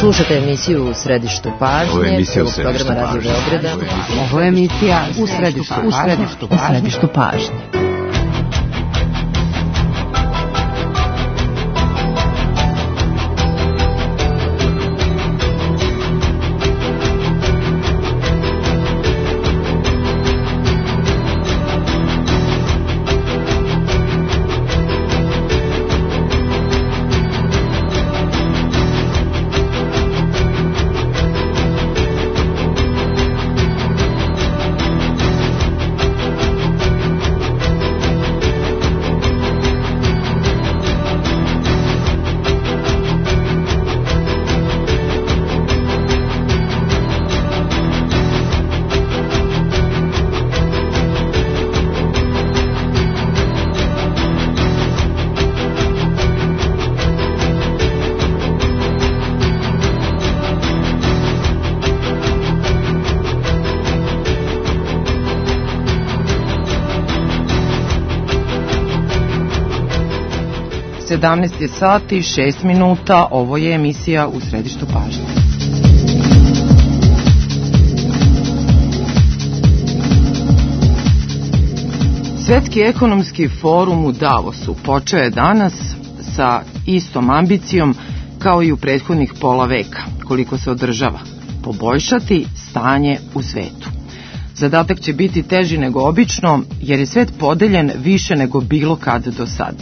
Slušate emisiju u središtu pažnje. Ovo je emisija u središtu pažnje. Ovo je emisija u središtu pažnje. Je sati 6 minuta, ovo je emisija u središtu pažnje. Svetski ekonomski forum u Davosu počeo je danas sa istom ambicijom kao i u prethodnih pola veka, koliko se održava, poboljšati stanje u svetu. Zadatak će biti teži nego obično, jer je svet podeljen više nego bilo kad do sad.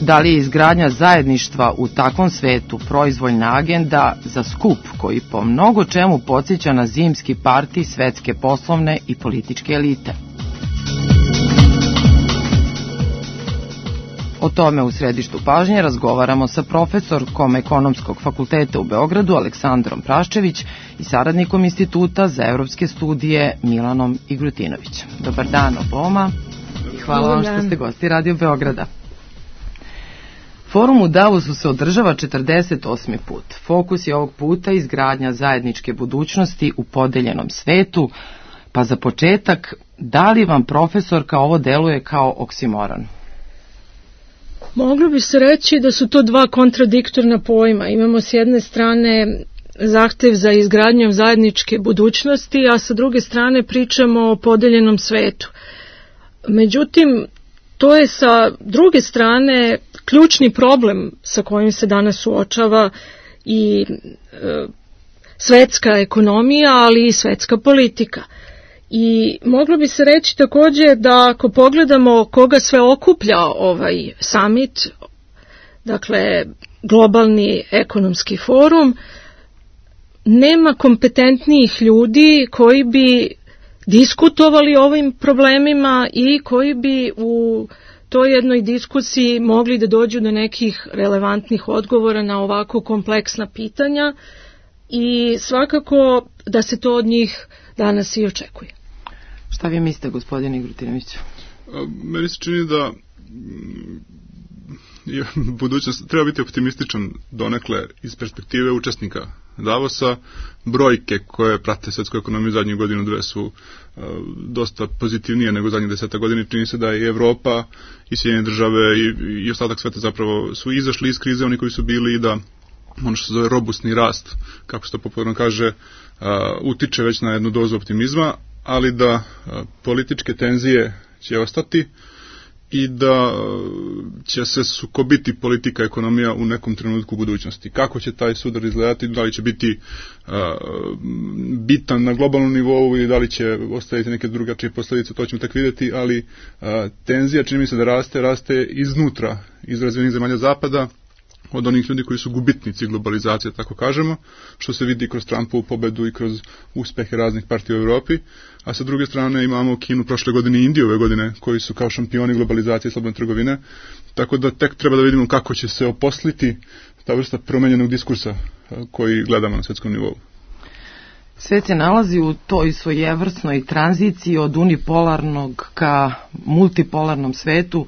Da li je izgradnja zajedništva u takvom svetu proizvoljna agenda za skup koji po mnogo čemu podsjeća na zimski parti svetske poslovne i političke elite? O tome u središtu pažnje razgovaramo sa profesorkom Ekonomskog fakulteta u Beogradu Aleksandrom Praščević i saradnikom Instituta za evropske studije Milanom Igrutinovićem. Dobar dan oboma i hvala vam što ste gosti Radio Beograda. Forum u Davosu se održava 48. put. Fokus je ovog puta izgradnja zajedničke budućnosti u podeljenom svetu, pa za početak, da li vam profesorka ovo deluje kao oksimoron? Moglo bi se reći da su to dva kontradiktorna pojma. Imamo s jedne strane zahtev za izgradnjom zajedničke budućnosti, a sa druge strane pričamo o podeljenom svetu. Međutim, to je sa druge strane ključni problem sa kojim se danas suočava i svetska ekonomija, ali i svetska politika. I moglo bi se reći također da ako pogledamo koga sve okuplja ovaj summit, dakle globalni ekonomski forum, nema kompetentnijih ljudi koji bi diskutovali o ovim problemima i koji bi u toj jednoj diskusiji mogli da dođu do nekih relevantnih odgovora na ovako kompleksna pitanja i svakako da se to od njih danas i očekuje. Šta vi mislite, gospodine Igrutinoviću? Meni se čini da budućnost treba biti optimističan donekle iz perspektive učesnika Davosa. Brojke koje prate svetsku ekonomiju zadnjih godinu dve su dosta pozitivnije nego zadnjih 10 godina. Čini se da i Evropa i Sjedinjene države i ostatak sveta zapravo su izašli iz krize, oni koji su bili, i da ono što se zove robustni rast, kako se to popularno kaže, utiče već na jednu dozu optimizma, ali da političke tenzije će ostati i da će se sukobiti politika i ekonomija u nekom trenutku u budućnosti. Kako će taj sudar izgledati, da li će biti bitan na globalnom nivou i da li će ostaviti neke drugačije posljedice, to ćemo tek vidjeti, ali tenzija čini mi se da raste iznutra, iz razvijenih zemalja zapada, od onih ljudi koji su gubitnici globalizacije, tako kažemo, što se vidi kroz Trumpovu pobedu i kroz uspehe raznih partija u Europi, a sa druge strane imamo Kinu prošle godine i Indiju ove godine, koji su kao šampioni globalizacije i slobodne trgovine, tako da tek treba da vidimo kako će se oposliti ta vrsta promenjenog diskursa koji gledamo na svetskom nivou. Svet se nalazi u toj svojevrsnoj tranziciji od unipolarnog ka multipolarnom svetu,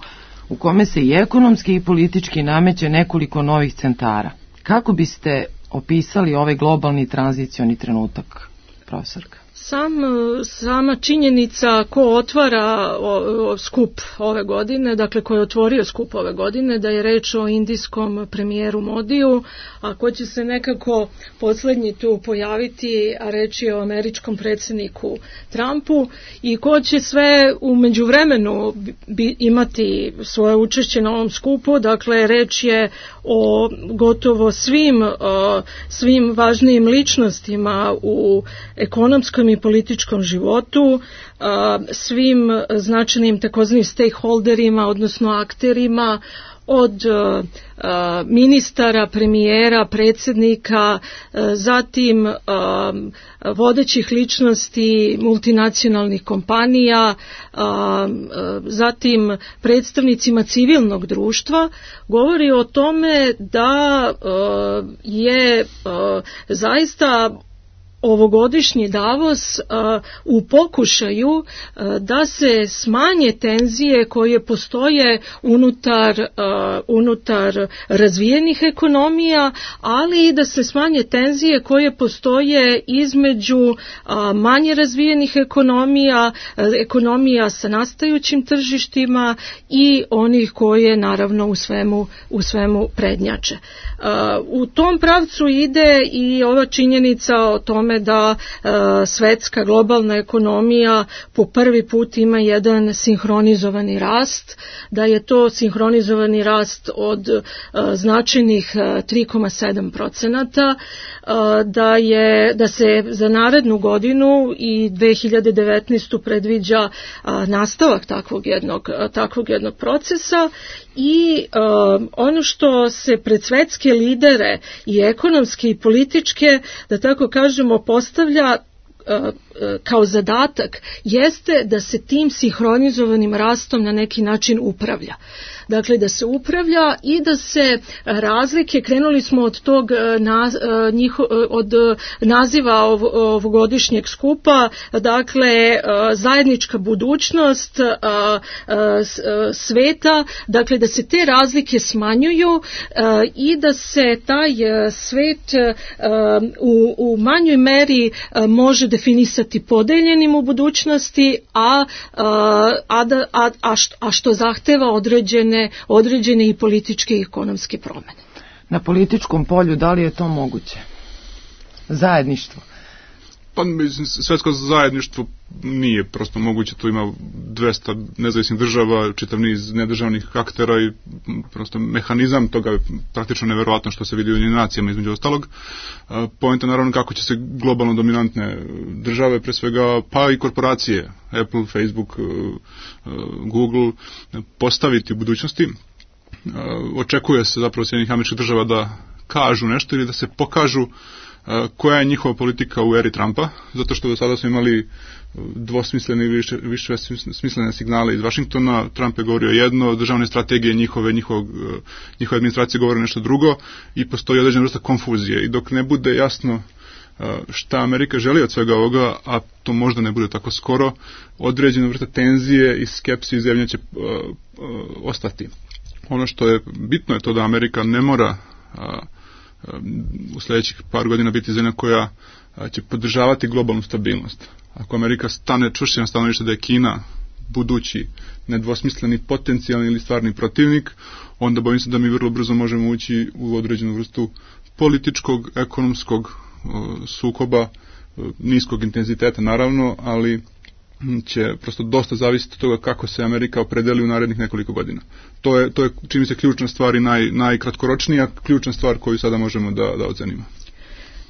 u kome se i ekonomski i politički nameće nekoliko novih centara. Kako biste opisali ovaj globalni tranzicioni trenutak, profesorka? Sama činjenica ko otvara skup ove godine, dakle ko je otvorio skup ove godine, da je reč o indijskom premijeru Modiju, a ko će se nekako poslednji tu pojaviti, a reč je o američkom predsjedniku Trumpu, i ko će sve u međuvremenu imati svoje učešće na ovom skupu. Dakle, reč je o gotovo svim važnijim ličnostima u ekonomskom i političkom životu, svim značajnim takozvanim stakeholderima, odnosno akterima, od ministara, premijera, predsjednika, zatim vodećih ličnosti multinacionalnih kompanija, zatim predstavnicima civilnog društva, govori o tome da je zaista ovogodišnji Davos u pokušaju da se smanje tenzije koje postoje unutar razvijenih ekonomija, ali i da se smanje tenzije koje postoje između manje razvijenih ekonomija sa nastajućim tržištima i onih koje naravno u svemu prednjače. U tom pravcu ide i ova činjenica o tome da svetska globalna ekonomija po prvi put ima jedan sinhronizovani rast, da je to sinhronizovani rast od značajnih 3,7%, da se za narednu godinu i 2019. predviđa nastavak takvog jednog procesa. I ono što se pred svetske lidere i ekonomske i političke, da tako kažemo, postavlja kao zadatak, jeste da se tim sinhronizovanim rastom na neki način upravlja. Dakle, da se upravlja i da se razlike, krenuli smo od tog od naziva ovogodišnjeg skupa, dakle zajednička budućnost sveta, dakle da se te razlike smanjuju i da se taj svet u manjoj meri može definisati podeljenim u budućnosti, a što zahteva određene i političke i ekonomske promene. Na političkom polju da li je to moguće? Zajedništvo? Pa svetsko zajedništvo nije prosto moguće, tu ima 200 nezavisnih država, čitav niz nedržavnih aktera i prosto mehanizam toga je praktično neverovatno što se vidi u Ujedinjenim nacijama između ostalog. Poenta naravno kako će se globalno dominantne države, pre svega pa i korporacije, Apple, Facebook, Google, postaviti u budućnosti. Očekuje se zapravo Sjedinjenih Američkih Država da kažu nešto ili da se pokažu koja je njihova politika u eri Trumpa, zato što do sada smo imali dvosmislene ili više smislene signale iz Vašingtona. Trump je govorio jedno, državne strategije njihove administracije govore nešto drugo i postoji određena vrsta konfuzije. I dok ne bude jasno šta Amerika želi od svega ovoga, a to možda ne bude tako skoro, određena vrsta tenzije i skepsi i zemlje će ostati. Ono što je bitno je to da Amerika ne mora u sljedećih par godina biti zemlja koja će podržavati globalnu stabilnost. Ako Amerika stane čvršće na stanovište da je Kina budući nedvosmisleni potencijalni ili stvarni protivnik, onda bojim se da mi vrlo brzo možemo ući u određenu vrstu političkog, ekonomskog sukoba, niskog intenziteta naravno, ali će prosto dosta zavisiti od toga kako se Amerika opredeli u narednih nekoliko godina. To je čini mi se ključna stvar i najkratkoročnija ključna stvar koju sada možemo da ocenimo.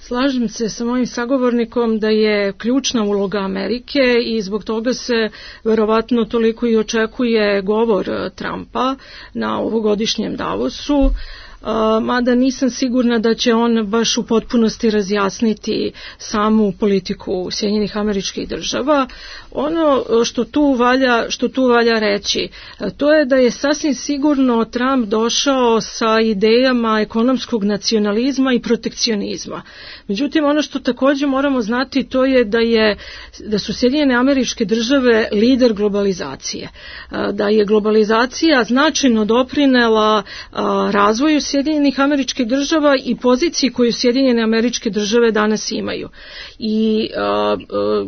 Slažem se sa mojim sagovornikom da je ključna uloga Amerike i zbog toga se verovatno toliko i očekuje govor Trumpa na ovogodišnjem Davosu. Mada nisam sigurna da će on baš u potpunosti razjasniti samu politiku Sjedinjenih Američkih Država. Ono što tu valja reći, to je da je sasvim sigurno Trump došao sa idejama ekonomskog nacionalizma i protekcionizma. Međutim, ono što također moramo znati, to je da su Sjedinjene Američke Države lider globalizacije. Da je globalizacija značajno doprinela razvoju Sjedinjenih Američkih Država i poziciji koju Sjedinjene Američke Države danas imaju. I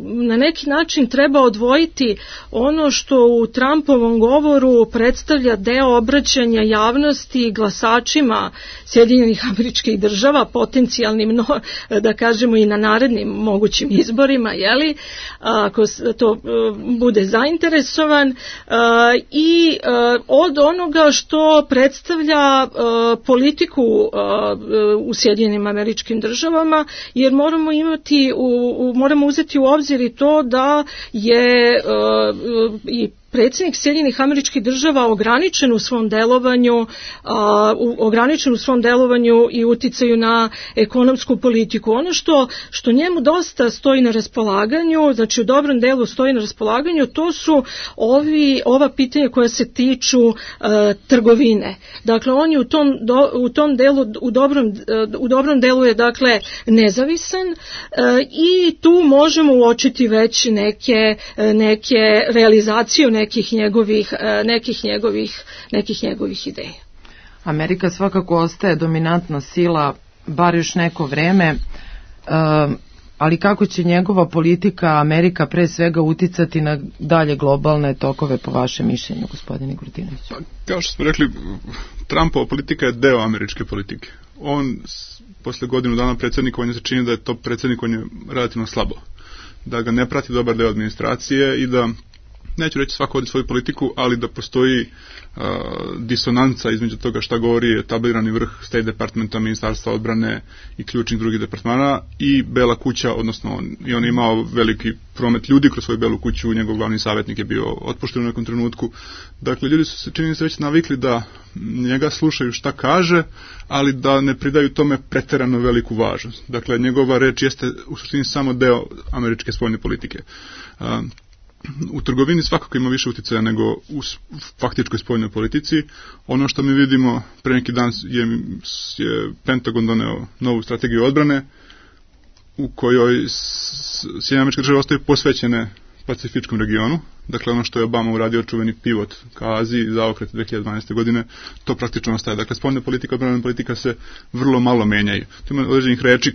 na neki način treba odvojiti ono što u Trumpovom govoru predstavlja deo obraćanja javnosti i glasačima Sjedinjenih Američkih Država, potencijalnim, da kažemo i na narednim mogućim izborima, jeli, ako to bude zainteresovan, i od onoga što predstavlja politiku u Sjedinjenim Američkim Državama, jer moramo uzeti u obzir i to da je i predsjednik Sjedinjenih Američkih Država ograničen u svom delovanju i uticaju na ekonomsku politiku. Ono što njemu dosta stoji na raspolaganju, znači u dobrom delu stoji na raspolaganju, to su ova pitanja koja se tiču trgovine. Dakle, on je u tom delu, u dobrom delu je dakle nezavisan i tu možemo uočiti već neke realizaciju nekih njegovih ideja. Amerika svakako ostaje dominantna sila bar još neko vreme, ali kako će njegova politika Amerika pre svega uticati na dalje globalne tokove po vašem mišljenju, gospodine Grudinović? Kao što smo rekli, Trumpova politika je deo američke politike. On posle godinu dana predsjednikovanja se čini da je to predsjednikovanje relativno slabo, da ga ne prati dobar deo administracije i da, neću reći svako vodi svoju politiku, ali da postoji disonanca između toga šta govori etablirani vrh State Departmenta, Ministarstva odbrane i ključnih drugih departmana i Bela kuća, odnosno on je imao veliki promet ljudi kroz svoju Belu kuću, njegov glavni savjetnik je bio otpušten u nekom trenutku. Dakle, ljudi su se, čini se, već navikli da njega slušaju šta kaže, ali da ne pridaju tome preterano veliku važnost. Dakle, njegova reč jeste u suštini samo deo američke spoljne politike. U trgovini svakako ima više utjecaja nego u faktičkoj spoljnoj politici. Ono što mi vidimo, pre neki dan je Pentagon doneo novu strategiju odbrane u kojoj Sjedinjene Američke Države ostaju posvećene Pacifičkom regionu. Dakle, ono što je Obama uradio, čuveni pivot ka Aziji, zaokret 2012. godine, to praktično ostaje. Dakle, spoljna politika, odbrana politika se vrlo malo menjaju. Tu ima određenih reči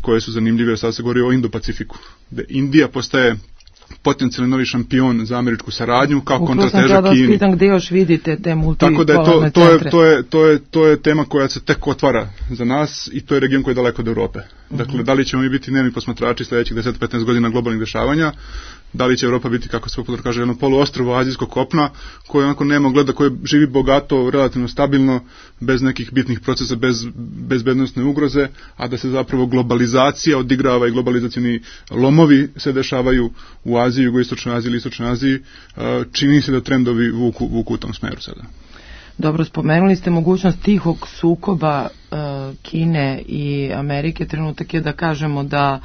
koje su zanimljive, sad se govori o Indo-Pacifiku, gde Indija postaje potencijalni novi šampion za američku saradnju kao kontrateža Kini. Pitam gdje još vidite te multipolarne centre. To je tema koja se tek otvara za nas i to je region koji je daleko od Europe. Dakle, da li ćemo mi biti dnevni posmatrači sljedećih 10-15 godina globalnih dešavanja, da li će Europa biti, kako se popularno kaže, jedno poluostrvo azijskog kopna koje onako nema gleda, koje živi bogato, relativno stabilno, bez nekih bitnih procesa, bez bezbednosne ugroze, a da se zapravo globalizacija odigrava i globalizacioni lomovi se dešavaju u Aziji, jugoistočnoj Aziji ili istočnoj Aziji. Čini se da trendovi vuku u tom smeru sada. Dobro, spomenuli ste mogućnost tihog sukoba Kine i Amerike. Trenutak je da kažemo da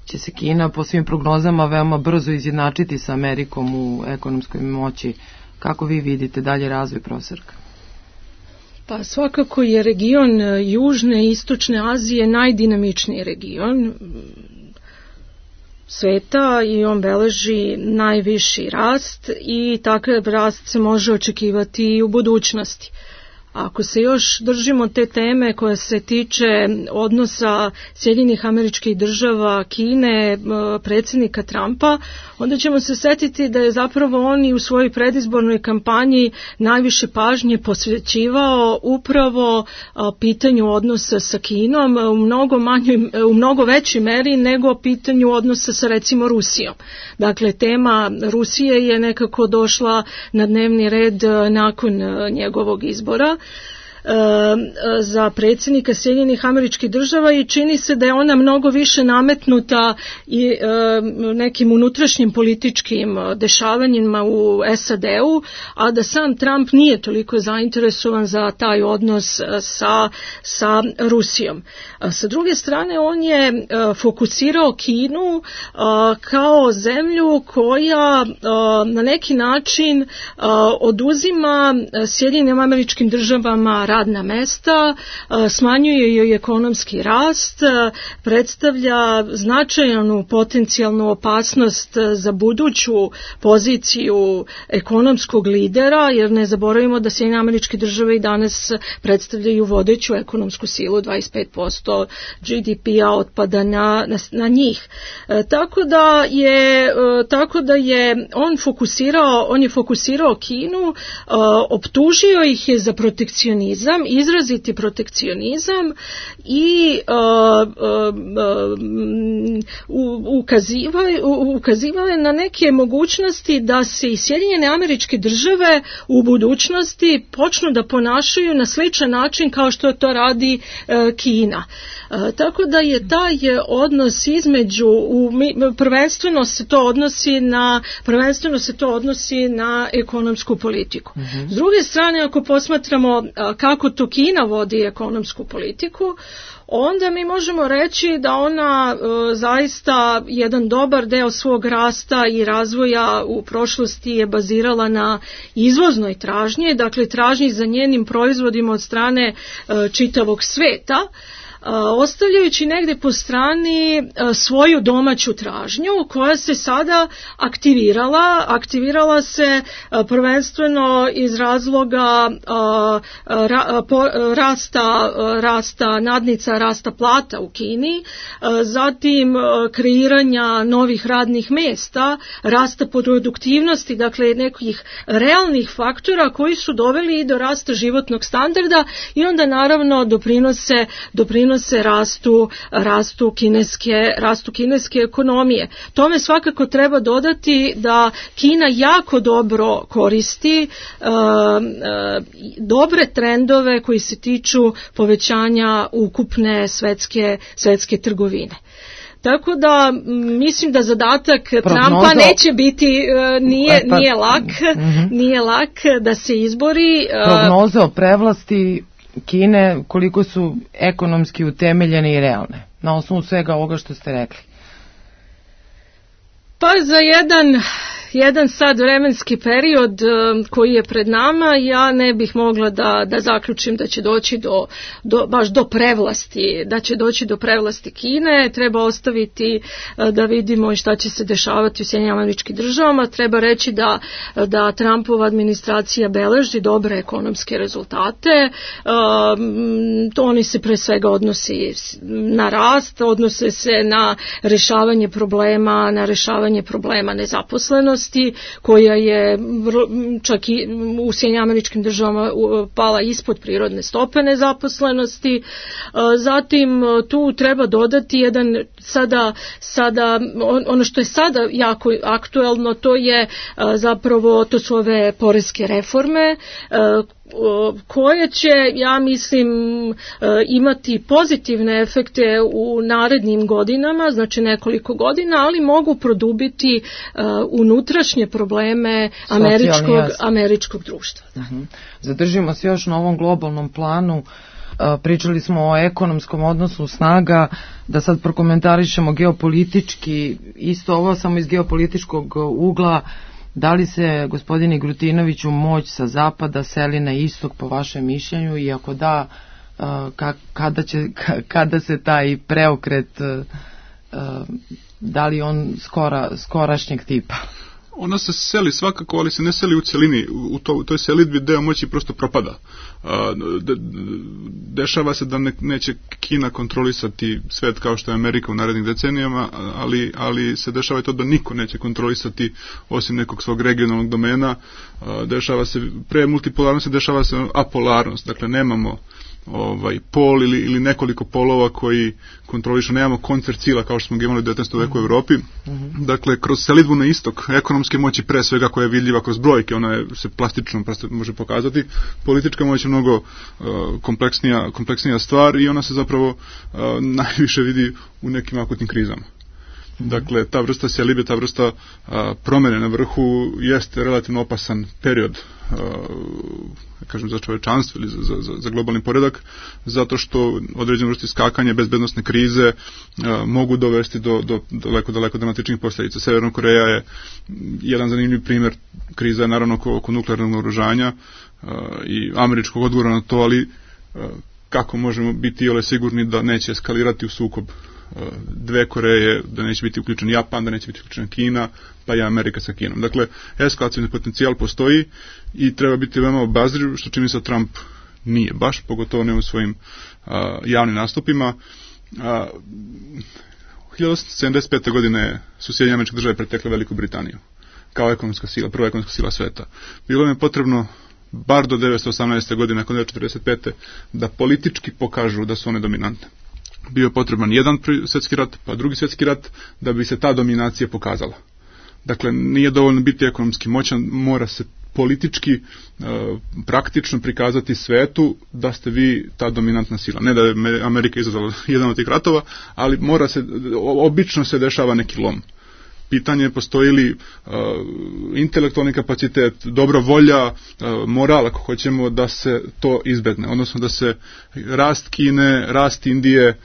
će se Kina po svim prognozama veoma brzo izjednačiti sa Amerikom u ekonomskoj moći. Kako vi vidite dalje razvoj, profesorka? Pa svakako je region Južne i Istočne Azije najdinamičniji region sveta i on beleži najviši rast i takav rast se može očekivati i u budućnosti. Ako se još držimo te teme koja se tiče odnosa Sjedinjenih Američkih Država, Kine, predsjednika Trumpa, onda ćemo se setiti da je zapravo on i u svojoj predizbornoj kampanji najviše pažnje posvećivao upravo pitanju odnosa sa Kinom u mnogo većoj meri nego pitanju odnosa sa recimo Rusijom. Dakle, tema Rusije je nekako došla na dnevni red nakon njegovog izbora za predsjednika Sjedinjenih Američkih Država i čini se da je ona mnogo više nametnuta i nekim unutrašnjim političkim dešavanjima u SAD-u, a da sam Trump nije toliko zainteresovan za taj odnos sa Rusijom. Sa druge strane, on je fokusirao Kinu kao zemlju koja na neki način oduzima Sjedinjenim Američkim Državama radna mesta, smanjuje joj ekonomski rast, predstavlja značajnu potencijalnu opasnost za buduću poziciju ekonomskog lidera, jer ne zaboravimo da Sjedinjene Američke Države i danas predstavljaju vodeću ekonomsku silu, 25% GDP-a otpada na njih. Tako da je on je fokusirao Kinu, optužio ih je za protekcionizam, izraziti protekcionizam i ukazivao je na neke mogućnosti da se i Sjedinjene Američke Države u budućnosti počnu da ponašaju na sličan način kao što to radi Kina. Tako da je taj odnos između, prvenstveno se to odnosi na ekonomsku politiku. S druge strane, ako posmatramo kako to Kina vodi ekonomsku politiku, onda mi možemo reći da ona zaista jedan dobar deo svog rasta i razvoja u prošlosti je bazirala na izvoznoj tražnji, dakle tražnji za njenim proizvodima od strane čitavog sveta, ostavljajući negde po strani svoju domaću tražnju koja se sada aktivirala se prvenstveno iz razloga rasta nadnica, rasta plata u Kini, zatim kreiranja novih radnih mjesta, rasta produktivnosti, dakle nekih realnih faktora koji su doveli i do rasta životnog standarda i onda naravno doprinose rastu kineske ekonomije. Tome svakako treba dodati da Kina jako dobro koristi dobre trendove koji se tiču povećanja ukupne svetske trgovine. Tako da mislim da zadatak Trumpa neće biti, nije lak da se izbori. Prognoze o prevlasti Kine, koliko su ekonomski utemeljene i realne, na osnovu svega ovoga što ste rekli? Pa za jedan sad vremenski period koji je pred nama, ja ne bih mogla da zaključim da će doći baš do prevlasti, da će doći do prevlasti Kine. Treba ostaviti da vidimo šta će se dešavati u Sjedinjenim Američkim Državama. Treba reći da Trumpova administracija beleži dobre ekonomske rezultate. Oni se pre svega odnosi na rast, odnose se na rešavanje problema nezaposlenosti, koja je čak i u Sjedinjenim Američkim Državama pala ispod prirodne stope nezaposlenosti. Zatim tu treba dodati ono što je sada jako aktuelno, to su ove poreske reforme koje će, ja mislim, imati pozitivne efekte u narednim godinama, znači nekoliko godina, ali mogu produbiti unutrašnje probleme američkog društva. Zadržimo se još na ovom globalnom planu. Pričali smo o ekonomskom odnosu snaga, da sad prokomentarišemo geopolitički, isto ovo samo iz geopolitičkog ugla. Da li se, gospodine Grutinoviću, moć sa zapada seli na istok po vašem mišljenju i ako da, kada se taj preokret, da li on skorašnjeg tipa? Ona se seli svakako, ali se ne seli u celini. U toj selidbi deo moći prosto propada. Dešava se da neće Kina kontrolisati svet kao što je Amerika u narednih decenijama, ali se dešava i to da niko neće kontrolisati osim nekog svog regionalnog domena. Dešava se, pre multipolarnosti dešava se apolarnost, dakle nemamo pol ili nekoliko polova koji kontrolišu, nemamo koncert sila kao što smo ga imali u 19. veku u Evropi. Dakle, kroz selidbu na istok, ekonomske moći pre svega koja je vidljiva kroz brojke, ona se plastično može pokazati, politička moć je mnogo kompleksnija stvar i ona se zapravo najviše vidi u nekim akutnim krizama. Dakle, ta vrsta selidbe, ta vrsta promene na vrhu jeste relativno opasan period, kažem, za čovečanstvo ili za globalni poredak, zato što određene vrste skakanja, bezbednosne krize mogu dovesti do daleko dramatičnih posljedica. Severna Koreja je jedan zanimljiv primjer. Kriza je naravno oko nuklearnog naoružanja, i američkog odgovora na to, ali kako možemo biti sigurni da neće eskalirati u sukob dve Koreje, da neće biti uključen Japan, da neće biti uključen Kina, pa i Amerika sa Kinom. Dakle, eskalacijni potencijal postoji i treba biti veoma obazriv, što čini se Trump nije baš, pogotovo ne u svojim javnim nastupima. 1875. godine su Sjedinjene Američke Države pretekle Veliku Britaniju kao ekonomska sila, prva ekonomska sila sveta. Bilo im je potrebno bar do 1918. godine, nakon 1945. da politički pokažu da su one dominantne. Bio je potreban jedan svjetski rat, pa drugi svjetski rat, da bi se ta dominacija pokazala. Dakle, nije dovoljno biti ekonomski moćan, mora se politički, praktično prikazati svetu da ste vi ta dominantna sila. Ne da je Amerika izazvala jedan od tih ratova, ali obično se dešava neki lom. Pitanje je postoji li intelektualni kapacitet, dobra volja, moral, ako hoćemo, da se to izbegne. Odnosno da se rast Kine, rast Indije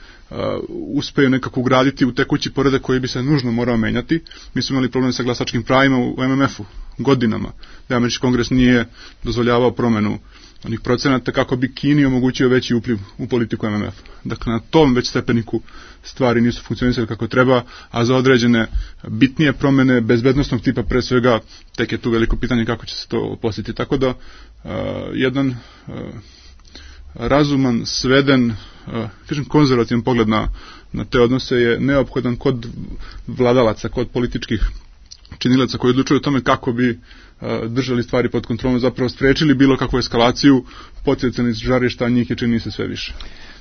uspeju nekako ugraditi u tekući poredak koji bi se nužno morao menjati. Mi smo imali problem sa glasačkim pravima u MMF-u godinama, da Američki kongres nije dozvoljavao promenu onih procenata kako bi Kini omogućio veći upliv u politiku MMF. Dakle, na tom već stepeniku stvari nisu funkcionisali kako treba, a za određene bitnije promene bezbednosnog tipa pre svega tek je tu veliko pitanje kako će se to posjetiti. Tako da jedan razuman, sveden, konzervativan pogled na te odnose je neophodan kod vladalaca, kod političkih činilaca koji odlučuju o tome kako bi držali stvari pod kontrolom, zapravo sprečili bilo kakvu eskalaciju potencijalnih žarišta, njih je čini se sve više.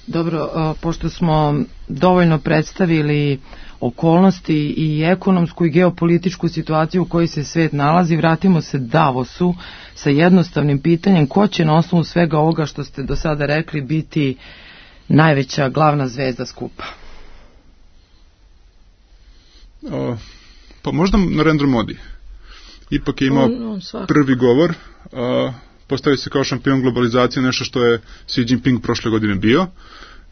Dobro, pošto smo dovoljno predstavili okolnosti i ekonomsku i geopolitičku situaciju u kojoj se svet nalazi, vratimo se Davosu sa jednostavnim pitanjem: ko će na osnovu svega ovoga što ste do sada rekli biti najveća glavna zvezda skupa? Pa možda Narendra Modi. Ipak je imao prvi govor, postavio se kao šampion globalizacije, nešto što je Xi Jinping prošle godine bio.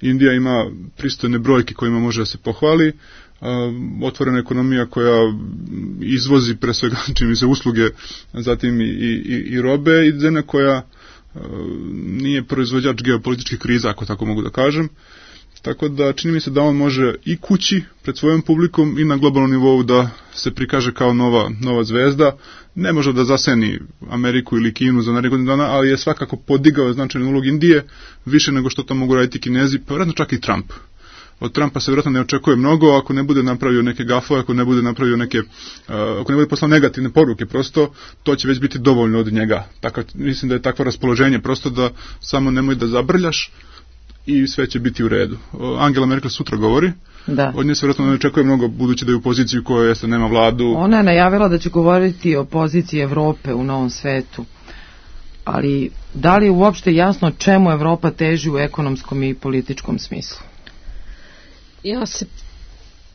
Indija ima pristojne brojke kojima može da se pohvali, otvorena ekonomija koja izvozi pre svega čini se usluge, zatim i robe, i zemlja koja nije proizvođač geopolitičkih kriza, ako tako mogu da kažem. Tako da čini mi se da on može i kući pred svojom publikom i na globalnom nivou da se prikaže kao nova zvezda. Ne može da zaseni Ameriku ili Kinu za narednih dana, ali je svakako podigao značajnu ulogu Indije više nego što to mogu raditi Kinezi, pa vjerojatno čak i Trump. Od Trumpa se vjerojatno ne očekuje mnogo ako ne bude napravio neke gafove, ako ne bude napravio ako ne bude poslao negativne poruke, prosto to će već biti dovoljno od njega. Tako, mislim da je takvo raspoloženje, prosto da samo nemoj da zabrljaš i sve će biti u redu. Angela Merkel sutra govori. Da. Od nje se vjerojatno ne očekuje mnogo, budući da je u poziciji u kojoj nema vladu. Ona je najavila da će govoriti o poziciji Evrope u novom svetu. Ali da li je uopšte jasno čemu Evropa teži u ekonomskom i političkom smislu? Ja se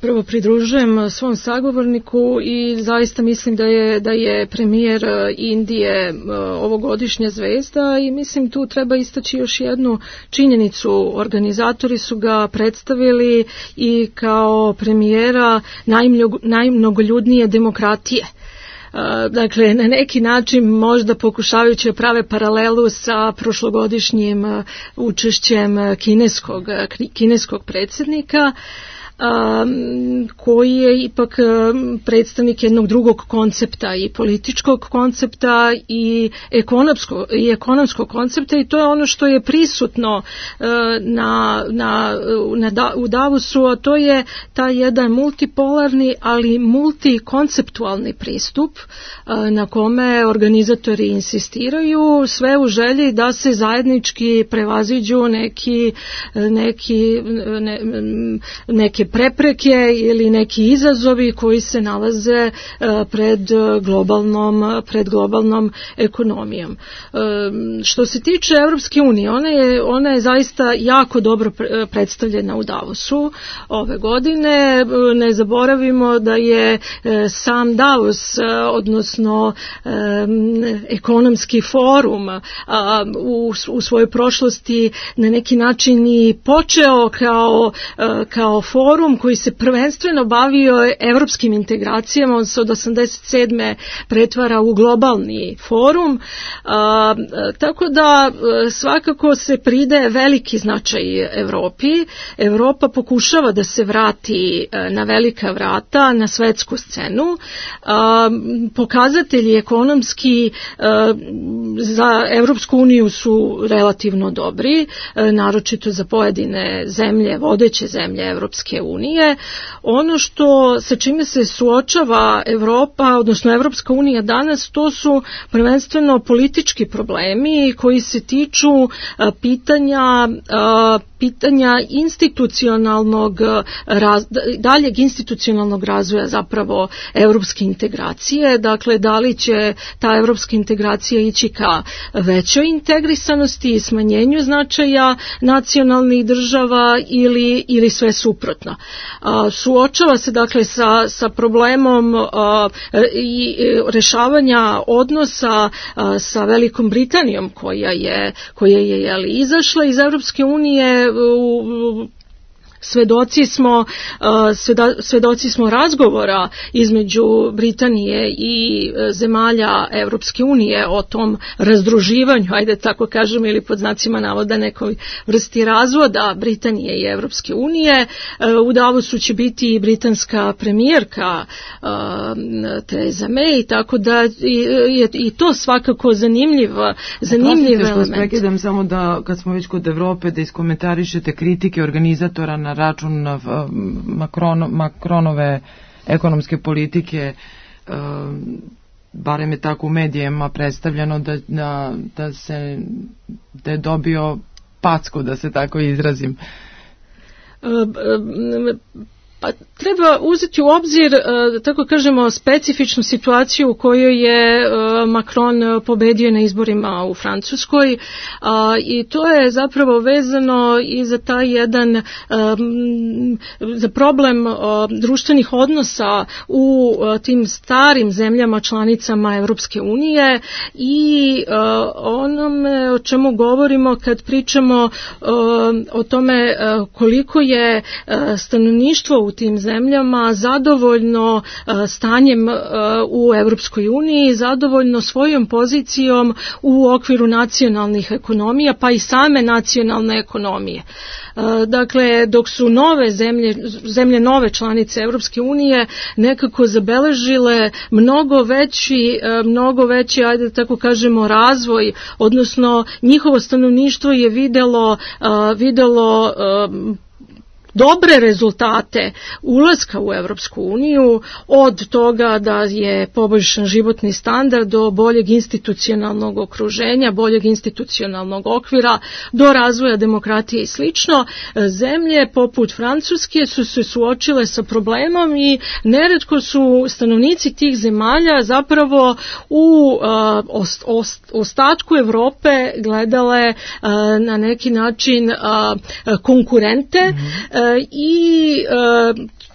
prvo pridružujem svom sagovorniku i zaista mislim da je premijer Indije ovogodišnja zvezda, i mislim tu treba istaći još jednu činjenicu. Organizatori su ga predstavili i kao premijera najmnogoljudnije demokratije. Dakle, na neki način možda pokušavajući prave paralelu sa prošlogodišnjim učešćem kineskog predsjednika, koji je ipak predstavnik jednog drugog koncepta, i političkog koncepta i ekonomskog koncepta, i to je ono što je prisutno u Davosu, a to je taj jedan multipolarni, ali multikonceptualni pristup na kome organizatori insistiraju, sve u želji da se zajednički prevaziđu neke prepreke ili neki izazovi koji se nalaze pred globalnom ekonomijom. Što se tiče Evropske unije, ona je zaista jako dobro predstavljena u Davosu ove godine. Ne zaboravimo da je sam Davos, odnosno ekonomski forum, u svojoj prošlosti na neki način i počeo kao forum forum koji se prvenstveno bavio evropskim integracijama, on se od 87. pretvara u globalni forum, tako da svakako se pridaje veliki značaj Evropi. Evropa pokušava da se vrati na velika vrata, na svetsku scenu. Pokazatelji ekonomski za Evropsku uniju su relativno dobri, naročito za pojedine zemlje, vodeće zemlje Evropske unije. Ono što sa čime se suočava Evropa, odnosno Evropska unija danas, to su prvenstveno politički problemi koji se tiču pitanja institucionalnog daljeg institucionalnog razvoja zapravo evropske integracije. Dakle, da li će ta evropska integracija ići ka većoj integrisanosti i smanjenju značaja nacionalnih država ili sve suprotno. Suočava se dakle sa problemom i rešavanja odnosa sa Velikom Britanijom koja je izašla iz Evropske unije. Svedoci smo razgovora između Britanije i zemalja Evropske unije o tom razdruživanju, ajde tako kažem, ili pod znacima navoda nekoj vrsti razvoda Britanije i Evropske unije. U Davosu će biti i britanska premijerka Theresa May, tako da je i to svakako zanimljiv element. Prekidam samo da, kad smo već kod Evrope, da iskomentarišete kritike organizatora na račun Macronove ekonomske politike, barem je tako u medijima predstavljeno da je dobio packu, da se tako izrazim. Pa treba uzeti u obzir, tako kažemo, specifičnu situaciju u kojoj je Macron pobedio na izborima u Francuskoj, i to je zapravo vezano i za taj jedan za problem društvenih odnosa u tim starim zemljama članicama Evropske unije i onome o čemu govorimo kad pričamo o tome koliko je stanovništvo u tim zemljama zadovoljno stanjem u Evropskoj uniji, zadovoljno svojom pozicijom u okviru nacionalnih ekonomija, pa i same nacionalne ekonomije. Dakle, dok su zemlje nove članice Evropske unije nekako zabeležile mnogo veći, ajde tako kažemo, razvoj, odnosno njihovo stanovništvo je videlo dobre rezultate ulaska u Evropsku uniju, od toga da je poboljšan životni standard do boljeg institucionalnog okruženja, boljeg institucionalnog okvira, do razvoja demokratije i slično. Zemlje poput Francuske su se suočile sa problemom i neretko su stanovnici tih zemalja zapravo u ostatku Evrope gledale na neki način konkurente, i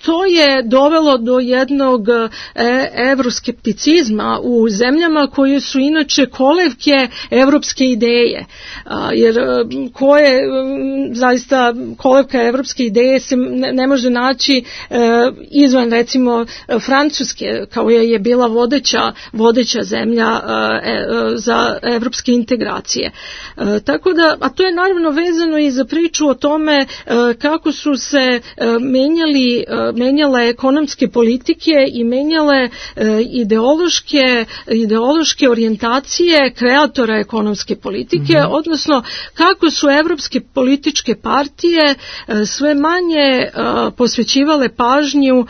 to je dovelo do jednog evroskepticizma u zemljama koje su inače kolevke evropske ideje, jer zaista kolevka evropske ideje se ne može naći izvan, recimo, Francuske, kao je bila vodeća zemlja za evropske integracije. Tako da, a to je naravno vezano i za priču o tome kako su se menjale ekonomske politike i menjale ideološke orijentacije kreatora ekonomske politike, odnosno kako su evropske političke partije sve manje posvećivale pažnju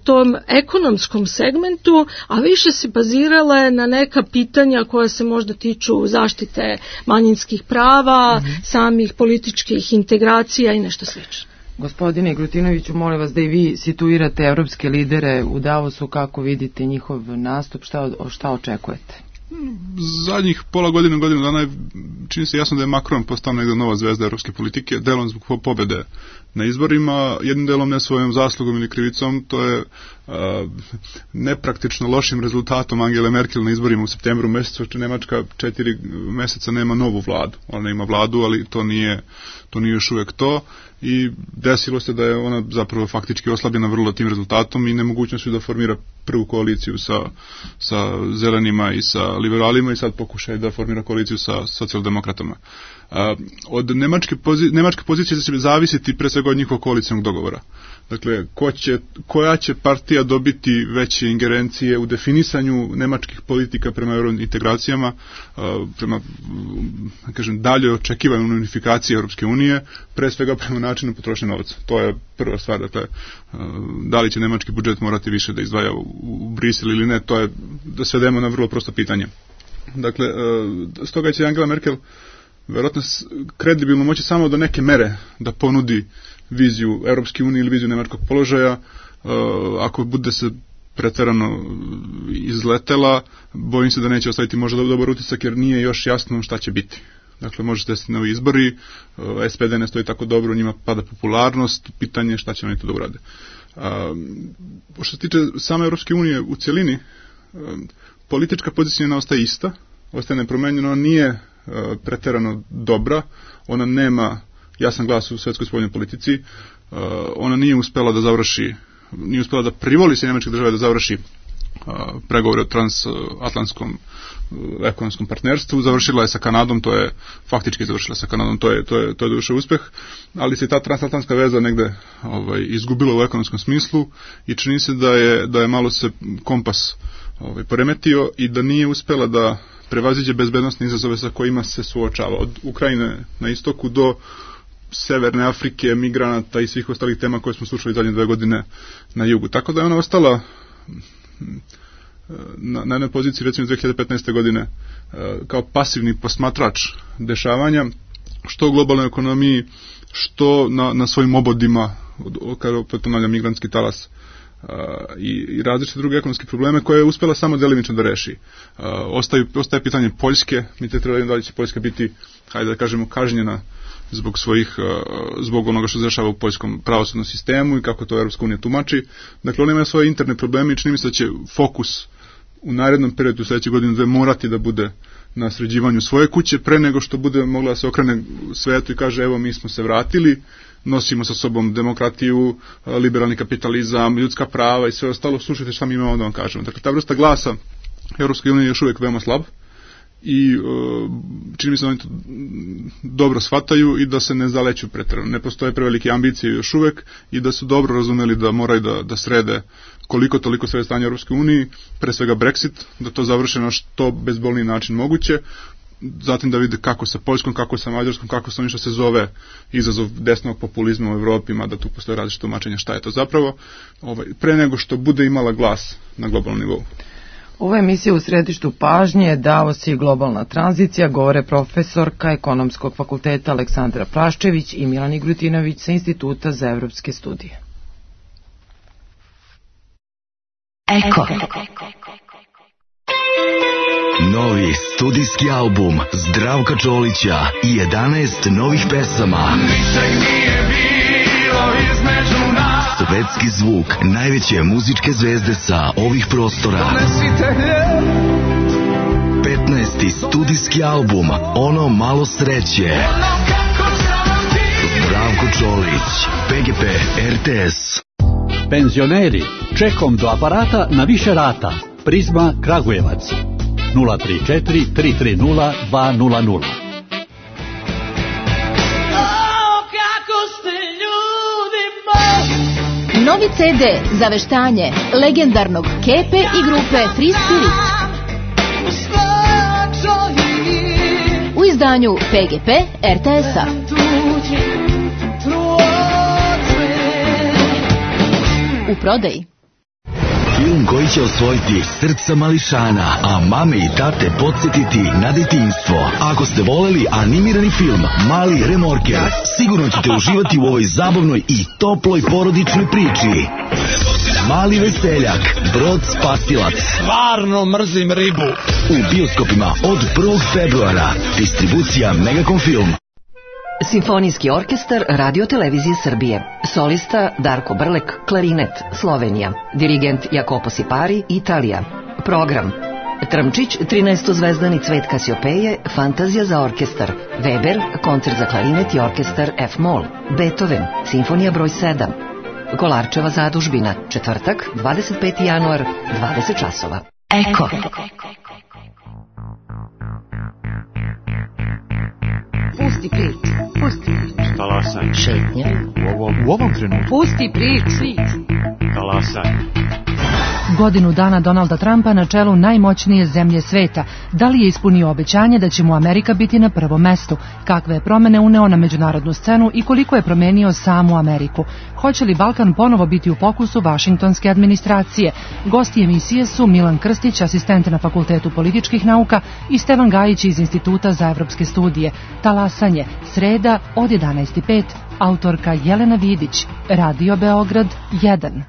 tom ekonomskom segmentu, a više se bazirale na neka pitanja koja se možda tiču zaštite manjinskih prava, samih političkih integracija i nešto slično. Gospodine Glutinoviću, molim vas da i vi situirate evropske lidere u Davosu, kako vidite njihov nastup, šta očekujete? Zadnjih pola godinu dana je, čini se jasno da je Macron postao negdje nova zvezda evropske politike, delom zbog pobede na izborima, jednim delom ne svojom zaslugom ili krivicom, to je nepraktično lošim rezultatom Angele Merkel na izborima u septembru mesecu, što Nemačka 4 meseca nema novu vladu. Ona ima vladu, ali to nije još uvijek to. i desilo se da je ona zapravo faktički oslabljena vrlo tim rezultatom i nemogućnošću da formira prvu koaliciju sa zelenima i sa liberalima i sad pokušaj da formira koaliciju sa socijaldemokratama. Od nemačke pozicije će zavisiti pre svega od njihovog koalicijnog dogovora. Dakle, koja će partija dobiti veće ingerencije u definisanju nemačkih politika prema eurointegracijama, prema, kažem, dalje očekivanju unifikacije Europske unije, pre svega prema načinu potrošnje novca. To je prva stvar. Dakle, da li će nemački budžet morati više da izdvaja u Brisel ili ne, to je da svedemo na vrlo prosto pitanje. Dakle, stoga će Angela Merkel verovatno kredibilno moći samo do neke mere da ponudi viziju Europske unije ili viziju nemačkog položaja. Ako bude se preterano izletela, bojim se da neće ostaviti možda dobar utisak jer nije još jasno šta će biti. Dakle, može se desiti novi izbori, SPD ne stoji tako dobro, njima pada popularnost, pitanje je šta će oni to da urade. Što se tiče same Europske unije u cjelini, politička pozicija ne ostaje ista, ostaje nepromenjena, ona nije preterano dobra, ona nema jasan glas u svetskoj spoljnoj politici, ona nije uspela da privoli se nemačke države da završi pregovore o transatlantskom ekonomskom partnerstvu, završila je sa Kanadom, to je faktički završila sa Kanadom, to je došao uspeh, ali se ta transatlantska veza negde izgubila u ekonomskom smislu i čini se da je malo se kompas poremetio i da nije uspela da prevaziđe bezbednostne izazove sa kojima se suočava. Od Ukrajine na istoku do Severne Afrike, migranata i svih ostalih tema koje smo slušali zadnje 2 godine na jugu. Tako da je ona ostala na jednoj poziciji recimo 2015. godine kao pasivni posmatrač dešavanja, što u globalnoj ekonomiji, što na svojim obodima, kada opet ponavljam migrantski talas, i različite druge ekonomske probleme koje je uspjela samo delimično da reši. Ostaje pitanje Poljske, mi te treba da li će Poljska biti, hajde da kažemo, kažnjena zbog onoga što se dešava u poljskom pravosudnom sistemu i kako to Europska unija tumači. Dakle, ona ima svoje interne probleme i čini mi se da će fokus u narednom periodu u sljedećeg godinu da morati da bude na sređivanju svoje kuće pre nego što bude mogla da se okrene svetu i kaže evo mi smo se vratili, nosimo sa sobom demokratiju, liberalni kapitalizam, ljudska prava i sve ostalo, slušajte šta mi imamo da vam kažemo. Dakle, ta vrsta glasa Europske unije je još uvijek veoma slab i čini mi se da oni to dobro shvataju i da se ne zaleću preterano. Ne postoje prevelike ambicije još uvijek i da su dobro razumeli da moraju da srede koliko toliko sve stanje u Europskoj uniji, pre svega Brexit, da to završe na što bezbolniji način moguće, zatim da vide kako sa Poljskom, kako sa Mađarskom, kako sa onim što se zove izazov desnog populizma u Evropi, mada tu postoje različite tumačenja šta je to zapravo, pre nego što bude imala glas na globalnom nivou. Ova emisija u središtu pažnje Davos i globalna tranzicija, govore profesorka Ekonomskog fakulteta Aleksandra Praščević i Milan Igrutinović sa Instituta za evropske studije. Eko. Novi studijski album Zdravka Čolića i 11 novih pesama. Svetski zvuk najveće muzičke zvezde sa ovih prostora. 15. studijski album Ono malo sreće. Zdravko Čolić, PGP RTS. Penzioneri, čekom do aparata na više rata. Prizma Kragujevac 034 330 200. Novi CD za veštanje legendarnog Kepe i grupe Free Spirit. U izdanju PGP RTS-a. U prodaji. Film koji će osvojiti srca mališana, a mame i tate podsjetiti na detinjstvo. Ako ste voleli animirani film Mali remorker, sigurno ćete uživati u ovoj zabavnoj i toploj porodičnoj priči. Mali veseljak, Brod spasilac. Stvarno mrzim ribu. U bioskopima od 1. februara. Distribucija Megacom Film. Simfonijski orkestar Radio Televizije Srbije. Solista Darko Brlek, klarinet, Slovenija. Dirigent Jakopo Sipari, Italija. Program: Tramčić, 13-zvezdani Cvet Kasiopeje, Fantazija za orkestar, Weber, koncert za klarinet i orkestar F-moll, Beethoven, Simfonija broj 7, Kolarčeva zadužbina, četvrtak, 25. januar, 20 časova. Eko. Pusti prič. Talasaj. Šetnja. U ovom trenutku. Pusti prič. Talasaj. Godinu dana Donalda Trumpa na čelu najmoćnije zemlje sveta. Da li je ispunio obećanje da će mu Amerika biti na prvom mestu? Kakve je promene uneo na međunarodnu scenu i koliko je promenio samu Ameriku? Hoće li Balkan ponovo biti u fokusu vašingtonske administracije? Gosti emisije su Milan Krstić, asistent na Fakultetu političkih nauka, i Stevan Gajić iz Instituta za evropske studije. Talasanje, sreda od 11:05, autorka Jelena Vidić, Radio Beograd 1.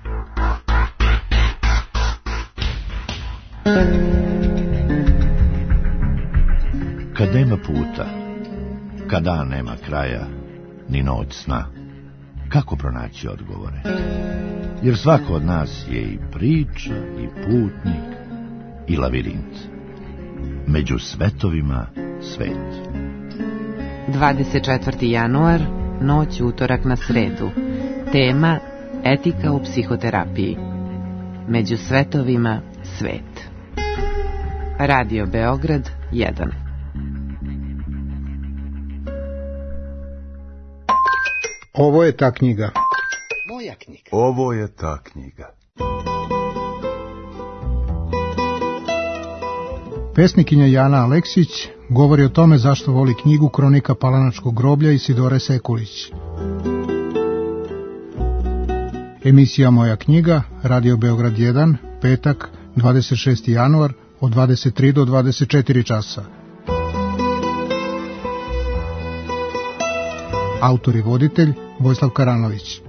Kad nema puta, kad dan nema kraja, ni noć sna, kako pronaći odgovore? Jer svako od nas je i priča, i putnik, i lavirint. Među svetovima svet. 24. januar, noć utorak na sredu. Tema: etika u psihoterapiji. Među svetovima svet. Radio Beograd 1. Ovo je ta knjiga. Moja knjiga. Ovo je ta knjiga. Pesnikinja Jana Aleksić govori o tome zašto voli knjigu Kronika Palanačkog groblja Isidore Sekulić. Emisija Moja knjiga, Radio Beograd 1, petak, 26. januar, od 23 do 24 časa. Autor i voditelj Vojislav Karanović.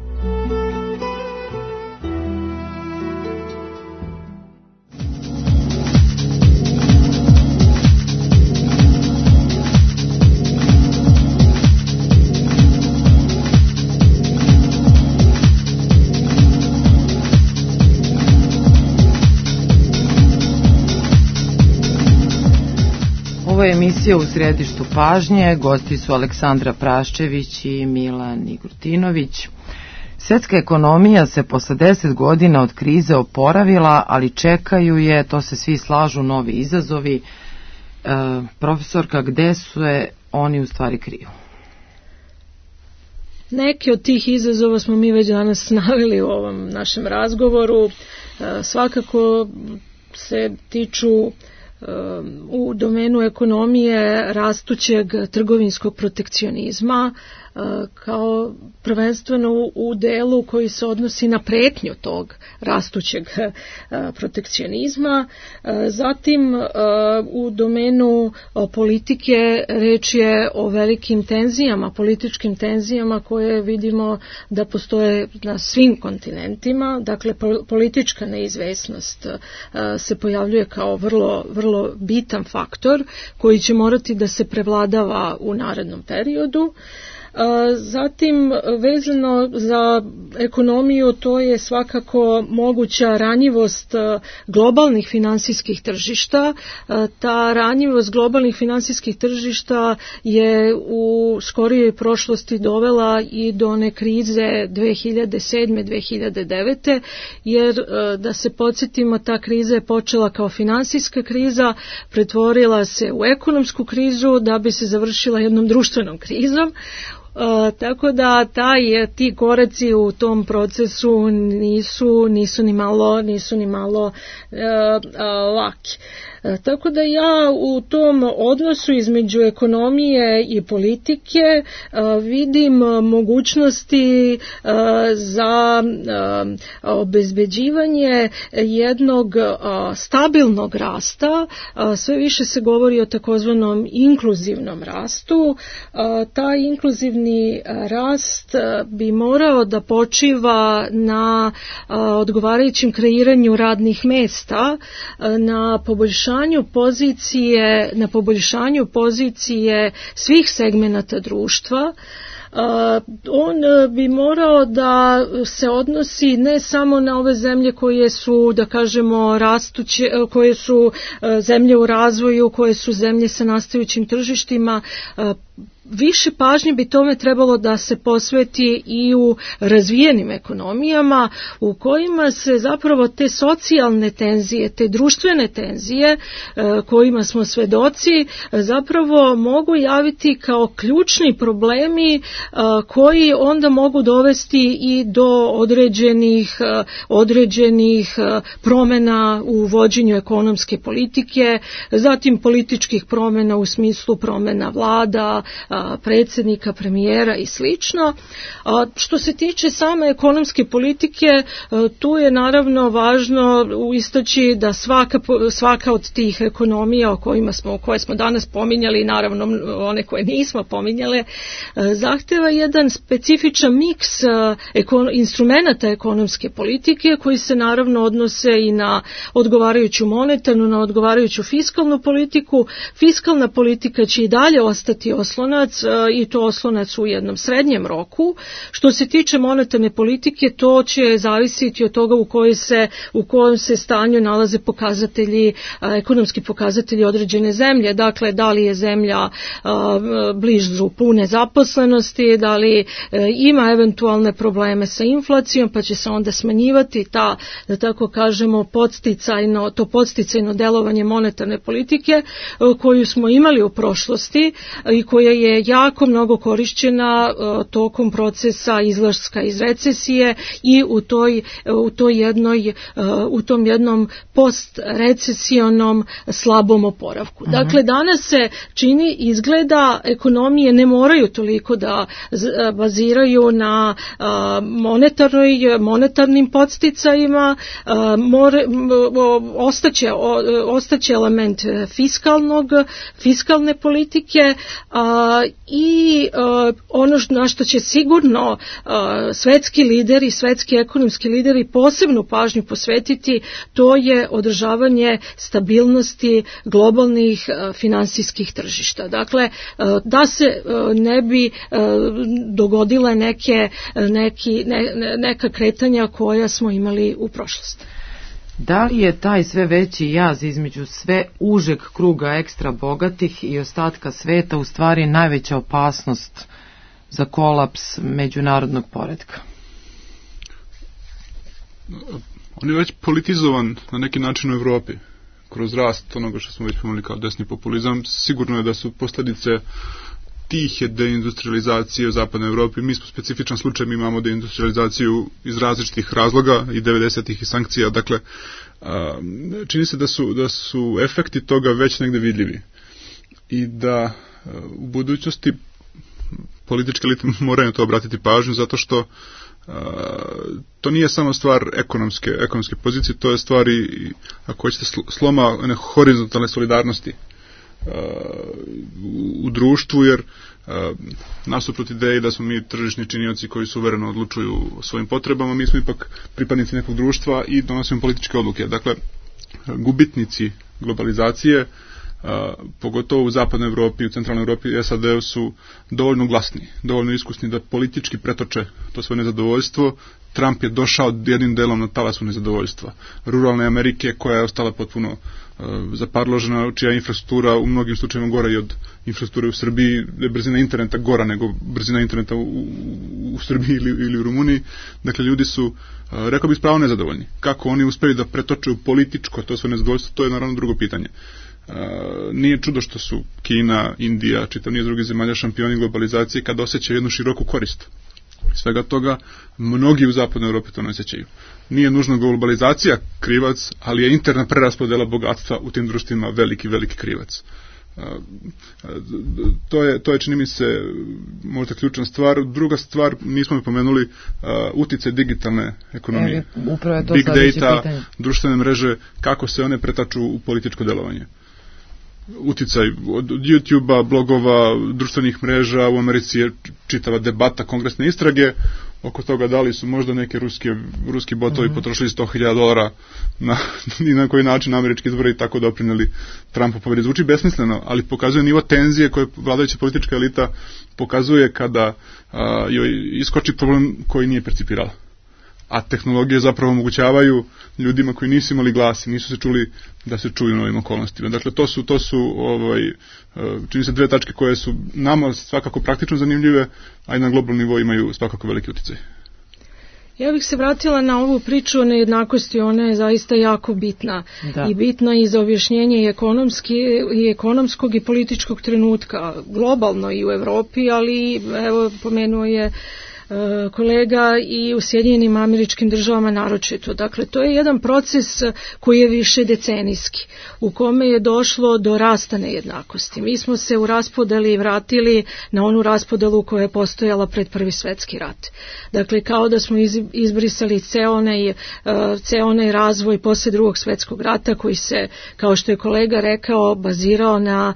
Ovo je emisija U središtu pažnje. Gosti su Aleksandra Praščević i Milan Igrutinović. Svjetska ekonomija se posle 10 godina od krize oporavila, ali čekaju je, to se svi slažu, novi izazovi. Profesorka, gde su oni u stvari kriju? Neki od tih izazova smo mi već danas naveli u ovom našem razgovoru. Svakako se tiču u domenu ekonomije rastućeg trgovinskog protekcionizma, kao prvenstveno u delu koji se odnosi na pretnju tog rastućeg protekcionizma. Zatim u domenu politike reč je o velikim tenzijama, političkim tenzijama koje vidimo da postoje na svim kontinentima. Dakle, politička neizvesnost se pojavljuje kao vrlo bitan faktor koji će morati da se prevladava u narednom periodu. Zatim, vezano za ekonomiju, to je svakako moguća ranjivost globalnih finansijskih tržišta. Ta ranjivost globalnih finansijskih tržišta je u skorijoj prošlosti dovela i do one krize 2007-2009, jer da se podsjetimo, ta kriza je počela kao finansijska kriza, pretvorila se u ekonomsku krizu da bi se završila jednom društvenom krizom. Tako da ti koraci u tom procesu nisu ni malo laki. Tako da ja u tom odnosu između ekonomije i politike vidim mogućnosti za obezbeđivanje jednog stabilnog rasta. Sve više se govori o takozvanom inkluzivnom rastu. Taj inkluzivni rast bi morao da počiva na odgovarajućem kreiranju radnih mesta, na poboljšanju pozicije svih segmenata društva, on bi morao da se odnosi ne samo na ove zemlje koje su, da kažemo, rastuće, koje su zemlje u razvoju, koje su zemlje sa nastajućim tržištima. Više pažnje bi tome trebalo da se posveti i u razvijenim ekonomijama u kojima se zapravo te socijalne tenzije, te društvene tenzije kojima smo svedoci zapravo mogu javiti kao ključni problemi koji onda mogu dovesti i do određenih promjena u vođenju ekonomske politike, zatim političkih promjena u smislu promjena vlada, predsjednika, premijera i slično. Što se tiče same ekonomske politike, tu je naravno važno istaći da svaka od tih ekonomija koje smo danas pominjali i naravno one koje nismo pominjale, zahteva jedan specifičan miks instrumenata ekonomske politike koji se naravno odnose i na odgovarajuću monetarnu, na odgovarajuću fiskalnu politiku. Fiskalna politika će i dalje ostati oslonac i to oslonac u jednom srednjem roku. Što se tiče monetarne politike, to će zavisiti od toga u kojem se stanju nalaze pokazatelji, ekonomski pokazatelji određene zemlje. Dakle, da li je zemlja blizu pune zaposlenosti, da li ima eventualne probleme sa inflacijom, pa će se onda smanjivati ta, da tako kažemo, podsticajno delovanje monetarne politike koju smo imali u prošlosti i koja je jako mnogo korišćena tokom procesa izlaska iz recesije i u tom jednom postrecesionom slabom oporavku. Dakle, danas se izgleda ekonomije ne moraju toliko da baziraju na monetarnim podsticajima, ostaće element fiskalne politike i ono na što će sigurno svetski lideri, svetski ekonomski lideri posebnu pažnju posvetiti, to je održavanje stabilnosti globalnih finansijskih tržišta. Dakle, da se ne bi dogodile neka kretanja koja smo imali u prošlosti. Da li je taj sve veći jaz između sve užeg kruga ekstra bogatih i ostatka sveta u stvari najveća opasnost za kolaps međunarodnog poretka? On je već politizovan na neki način u Evropi kroz rast onoga što smo već pomenuli kao desni populizam. Sigurno je da su posljedice tihe deindustrializacije u zapadnoj Evropi. Mi smo specifičan slučaj, mi imamo deindustrializaciju iz različitih razloga i 90-ih i sankcija. Dakle, čini se da su efekti toga već negde vidljivi i da u budućnosti političke elite moraju na to obratiti pažnju, zato što to nije samo stvar ekonomske pozicije, to je stvar i, ako hoćete, sloma horizontalne solidarnosti u društvu, jer nasuprot ideji da smo mi tržišni činioci koji suvereno odlučuju o svojim potrebama, mi smo ipak pripadnici nekog društva i donosimo političke odluke. Dakle, gubitnici globalizacije, pogotovo u zapadnoj Evropi i u centralnoj Evropi i SAD-u, su dovoljno glasni, dovoljno iskusni da politički pretoče to svoje nezadovoljstvo. Trump je došao jednim delom na talasu nezadovoljstva ruralne Amerike, koja je ostala potpuno zaparložena, čija infrastruktura u mnogim slučajevima gora i od infrastrukture u Srbiji, je brzina interneta gora nego brzina interneta u Srbiji ili u Rumuniji. Dakle, ljudi su, rekao bih, spravo nezadovoljni. Kako oni uspeju da pretoče u političko to svoje nezadovoljstvo, to je naravno drugo pitanje. Nije čudo što su Kina, Indija, čitav niz drugih zemalja šampioni globalizacije kada osjećaju jednu široku korist. Svega toga, mnogi u zapadnoj Evropi to ne osjećaju. Nije nužno globalizacija krivac, ali je interna preraspodela bogatstva u tim društvima veliki krivac. To je, čini mi se, možda ključna stvar. Druga stvar, nismo pomenuli, uticaj digitalne ekonomije. Big data, društvene mreže, kako se one pretaču u političko delovanje. Uticaj od YouTube-a, blogova, društvenih mreža, u Americi je čitava debata, kongresne istrage oko toga da li su možda neke ruski botovi potrošili $100.000 i na koji način američki izbori tako doprineli Trumpu pobedi. Zvuči besmisleno, ali pokazuje nivo tenzije koje vladajuća politička elita pokazuje kada joj iskoči problem koji nije percipirala. A tehnologije zapravo omogućavaju ljudima koji nisu imali glas i nisu se čuli da se čuju u novim okolnostima. Dakle, to su čini se dve tačke koje su nama svakako praktično zanimljive, a i na globalnom nivou imaju svakako veliki uticaj. Ja bih se vratila na ovu priču o nejednakosti, ona je zaista jako bitna. I bitna i za objašnjenje i ekonomskog i političkog trenutka, globalno i u Evropi, ali evo pomenuo je kolega i u Sjedinjenim Američkim Državama naročito. Dakle, to je jedan proces koji je više decenijski, u kome je došlo do rasta nejednakosti. Mi smo se u raspodeli vratili na onu raspodelu koja je postojala pred Prvi svjetski rat. Dakle, kao da smo izbrisali ceo onaj razvoj posle Drugog svjetskog rata koji se, kao što je kolega rekao, bazirao na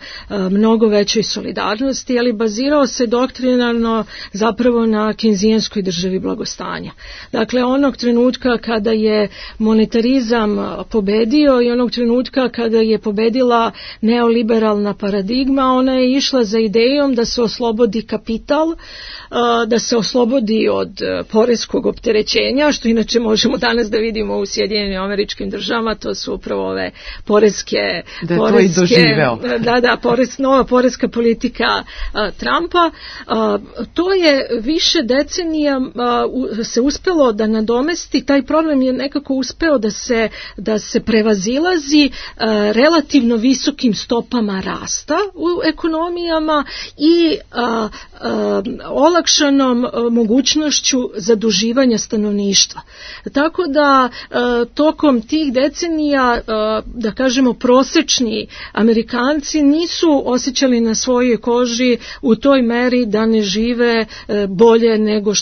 mnogo većoj solidarnosti, ali bazirao se doktrinarno zapravo na keynesijanskoj državi blagostanja. Dakle, onog trenutka kada je monetarizam pobedio i onog trenutka kada je pobedila neoliberalna paradigma, ona je išla za idejom da se oslobodi kapital, da se oslobodi od poreskog opterećenja, što inače možemo danas da vidimo u Sjedinjenim Američkim Državama, to su upravo ove poreske nova poreska politika Trumpa. To je više decenija se uspelo da nadomesti, taj problem je nekako uspeo da se prevazilazi relativno visokim stopama rasta u ekonomijama i olakšanom mogućnošću zaduživanja stanovništva. Tako da tokom tih decenija, da kažemo, prosečni Amerikanci nisu osjećali na svojoj koži u toj meri da ne žive bolje nego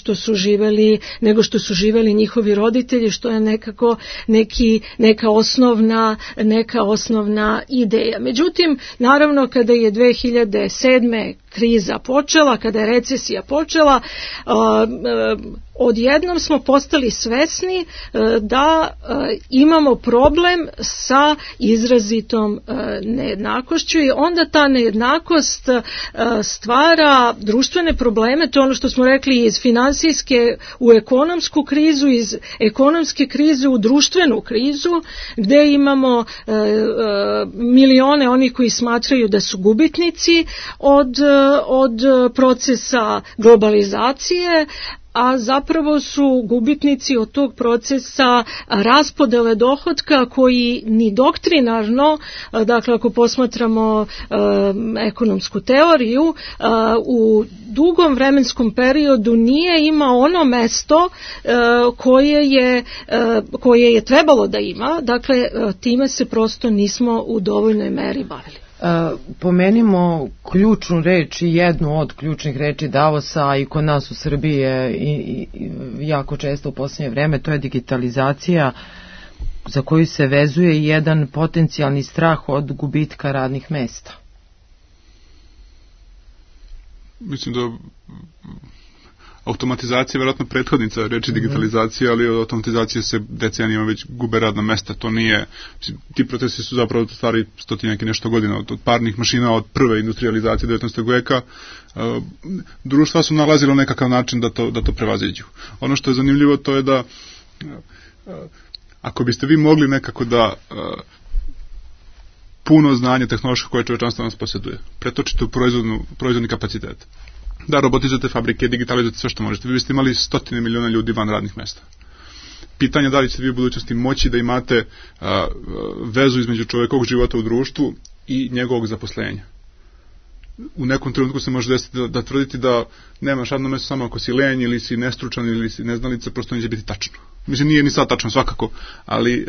što su živeli njihovi roditelji, što je nekako neka osnovna ideja. Međutim, naravno, kada je 2007. kriza počela, kada je recesija počela, odjednom smo postali svesni da imamo problem sa izrazitom nejednakošću i onda ta nejednakost stvara društvene probleme, to je ono što smo rekli, iz finansijske u ekonomsku krizu, iz ekonomske krize u društvenu krizu, gde imamo milione onih koji smatraju da su gubitnici od procesa globalizacije, a zapravo su gubitnici od tog procesa raspodele dohotka koji ni doktrinarno, dakle ako posmatramo ekonomsku teoriju, u dugom vremenskom periodu nije imao ono mesto koje je trebalo da ima, dakle time se prosto nismo u dovoljnoj meri bavili. Pomenimo ključnu reč i jednu od ključnih reči Davosa i kod nas u Srbiji je i jako često u posljednje vreme, to je digitalizacija, za koju se vezuje jedan potencijalni strah od gubitka radnih mesta. Mislim da automatizacija je vjerojatno prethodnica reči digitalizacija, ali od automatizacije se decenijama već gube radna mesta. To nije, ti procesi su zapravo stvari stotinjak i nešto godina, od parnih mašina, od prve industrializacije 19. veka. Društva su nalazila nekakav način da to prevaziđu. Ono što je zanimljivo to je da ako biste vi mogli nekako da puno znanje tehnološko koje čovečanstvo nas posjeduje, pretočite u proizvodni kapacitet, da robotizujete fabrike, digitalizujete sve što možete, vi biste imali 100 miliona ljudi van radnih mesta. Pitanje da li ćete vi u budućnosti moći da imate vezu između čovjekovog života u društvu i njegovog zaposlenja. U nekom trenutku se može desiti da tvrditi da nemaš radno mesto samo ako si lenj ili si nestručan ili si neznalica, prosto neće biti tačno. Mislim, nije ni sad tačno svakako, ali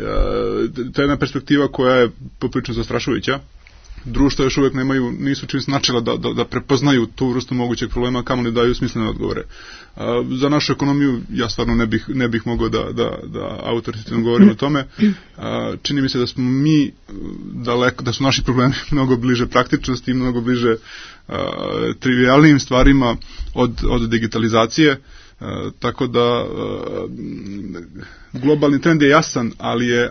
to je jedna perspektiva koja je poprilično zastrašujuća. Društva još uvijek nisu čim značila da prepoznaju tu vrstu mogućeg problema, kamo ne daju smislene odgovore. Za našu ekonomiju ja stvarno ne bih mogao da autoritativno govorim o tome. Čini mi se da smo mi daleko, da su naši problemi mnogo bliže praktičnosti i mnogo bliže trivialnim stvarima od digitalizacije. Tako da globalni trend je jasan,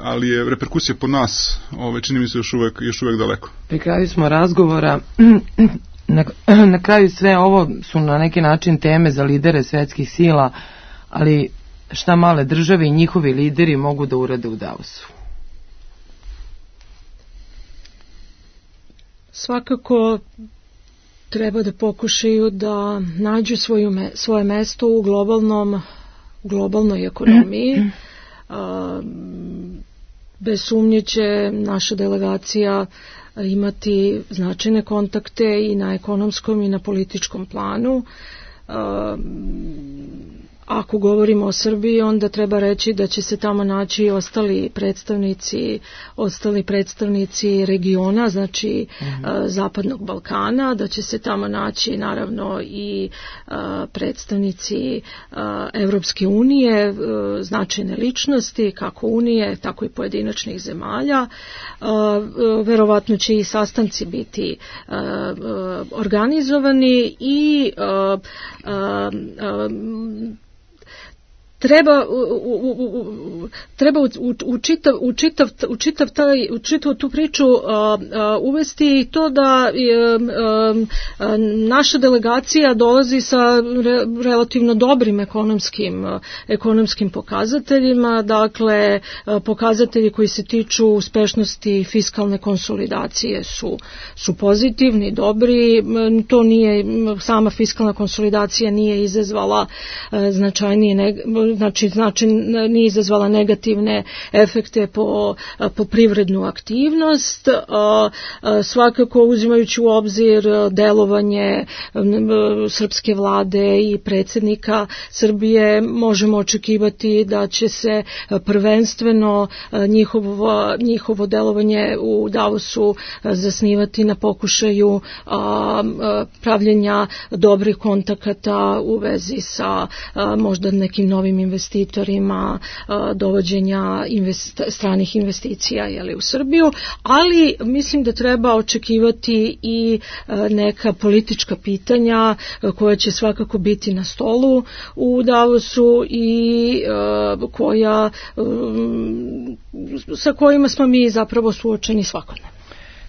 ali je reperkusija po nas, čini mi se još uvek daleko. Pri kraju smo razgovora. Na kraju sve ovo su na neki način teme za lidere svetskih sila, ali šta male države i njihovi lideri mogu da urade u Davosu? Svakako treba da pokušaju da nađu svoje mesto u globalnoj ekonomiji. Bez sumnje će naša delegacija imati značajne kontakte i na ekonomskom i na političkom planu. Ako govorimo o Srbiji, onda treba reći da će se tamo naći ostali predstavnici regiona, znači Zapadnog Balkana, da će se tamo naći naravno i predstavnici Evropske unije, značajne ličnosti, kako Unije, tako i pojedinačnih zemalja. Verovatno će i sastanci biti organizovani i treba u čitavu tu priču uvesti to da naša delegacija dolazi sa relativno dobrim ekonomskim pokazateljima, dakle pokazatelji koji se tiču uspešnosti fiskalne konsolidacije su pozitivni, dobri. To nije, sama fiskalna konsolidacija nije izazvala nije izazvala negativne efekte po privrednu aktivnost. Svakako uzimajući u obzir delovanje srpske vlade i predsjednika Srbije, možemo očekivati da će se prvenstveno njihovo delovanje u Davosu zasnivati na pokušaju pravljenja dobrih kontakata u vezi sa možda nekim novim investitorima, dovođenja stranih investicija u Srbiju, ali mislim da treba očekivati i neka politička pitanja koja će svakako biti na stolu u Davosu i sa kojima smo mi zapravo suočeni svakodnevno.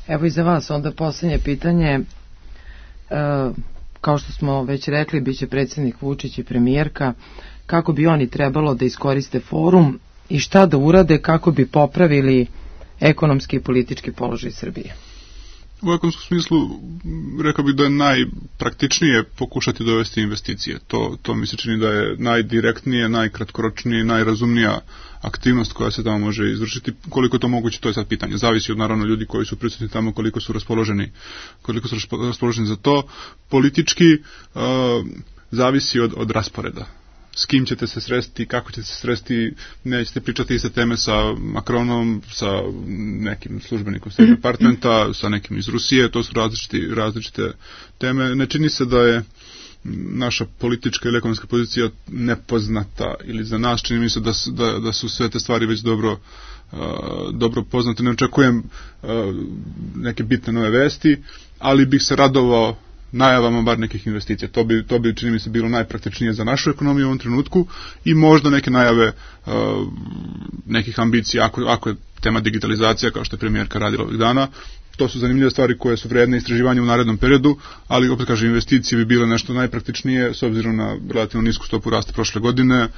Evo i za vas onda posljednje pitanje. Kao što smo već rekli, bit će predsjednik Vučić i premijerka. Kako bi oni trebalo da iskoriste forum i šta da urade kako bi popravili ekonomski i politički položaj Srbije? U ekonomskom smislu rekao bih da je najpraktičnije pokušati dovesti investicije. To mi se čini da je najdirektnije, najkratkoročnije, najrazumnija aktivnost koja se tamo može izvršiti. Koliko je to moguće, to je sad pitanje. Zavisi od naravno ljudi koji su prisutni tamo, koliko su raspoloženi za to. Politički zavisi od rasporeda. S kim ćete se sresti, kako ćete se sresti, nećete pričati iste teme sa Macronom, sa nekim službenikom State Departmenta, sa nekim iz Rusije, to su različite teme. Ne čini se da je naša politička ili ekonomska pozicija nepoznata ili za nas, čini mi se da su sve te stvari već dobro poznate. Ne očekujem neke bitne nove vesti, ali bih se radovao najavama bar nekih investicija. To bi čini mi se bilo najpraktičnije za našu ekonomiju u ovom trenutku i možda neke najave nekih ambicija ako je tema digitalizacija, kao što je premijerka radila ovih dana. To su zanimljive stvari koje su vredne istraživanja u narednom periodu, ali opet kažem, investicije bi bile nešto najpraktičnije s obzirom na relativno nisku stopu rasta prošle godine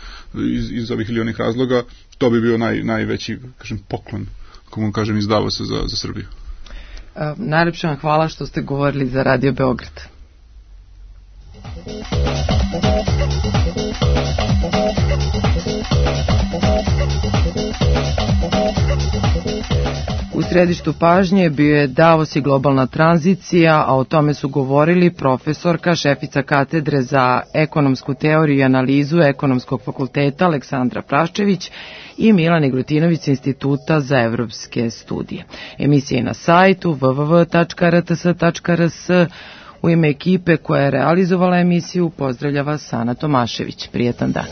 iz ovih ili onih razloga. To bi bio najveći, kažem, poklon, kako kažem, iz Davosa za Srbiju. Najlepše vam hvala što ste govorili za Radio Beograd. U središtu pažnje bio je Davos i globalna tranzicija, a o tome su govorili profesorka, šefica katedre za ekonomsku teoriju i analizu Ekonomskog fakulteta Aleksandra Praščević i Milan Igrutinović s Instituta za evropske studije. Emisija je na sajtu www.rts.rs. U ime ekipe koja je realizovala emisiju pozdravlja vas Sana Tomašević. Prijetan dan.